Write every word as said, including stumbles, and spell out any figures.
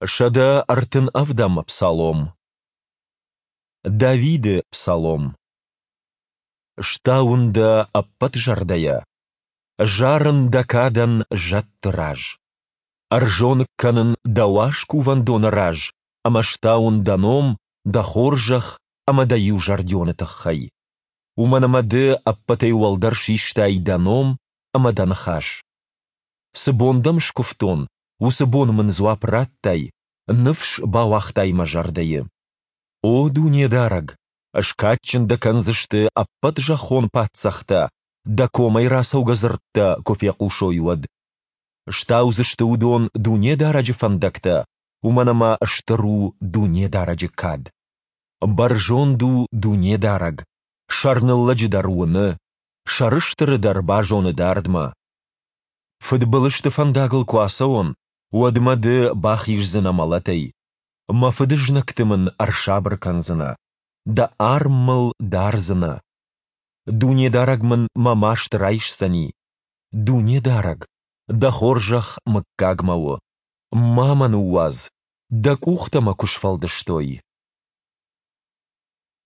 Сӕдӕ ӕртын ӕвдӕм псалом. Давиды псалом. Стауын дӕ ӕппӕт зӕрдӕйӕ, зарын дӕ кадӕн зӕдты раз. Ӕрзоныг кӕнын дӕ уаз кувӕндоны раз ӕмӕ стауын дӕ ном, дӕ хорзӕх ӕмӕ дӕ иузӕрдионы тыххӕй. Уымӕн ӕмӕ ды ӕппӕтӕй уӕлдӕр систай дӕ ном ӕмӕ дӕ ныхас. Цы бон дӕм скуывтон, уыцы бон мын дзуапп радтай, ныфс бауагътай мӕ зӕрдӕйы. О Дунедарӕг, скадджын дӕ кӕндзысты ӕппӕт зӕххон паддзӕхтӕ, дӕ комӕй рацӕугӕ дзырдтӕ куы фехъусой, уӕд. Стаудзысты уыдон Дунедарӕджы фӕндӕгтӕ, уымӕн ӕмӕ стыр у Дунедарӕджы кад. Бӕрзонд у Дунедарӕг, сӕрныллӕджы дӕр уыны, сӕрыстыры дӕр базоны дардмӕ. Фыдбылызты фӕндагыл куы ацӕуон, уӕд мӕ ды бахиздзынӕ мӕлӕтӕй. Мӕ фыдызнӕгты мын ӕрсабыр кӕндзынӕ, дӕ арм мыл дардзынӕ. Дунедарӕг мын мӕ маст райсдзӕни. Дунедарӕг, дӕ хорзӕх мыггагмӕ у. Ма мӕ ныууадз, дӕ къухтӕ мӕ куы сфӕлдыстой.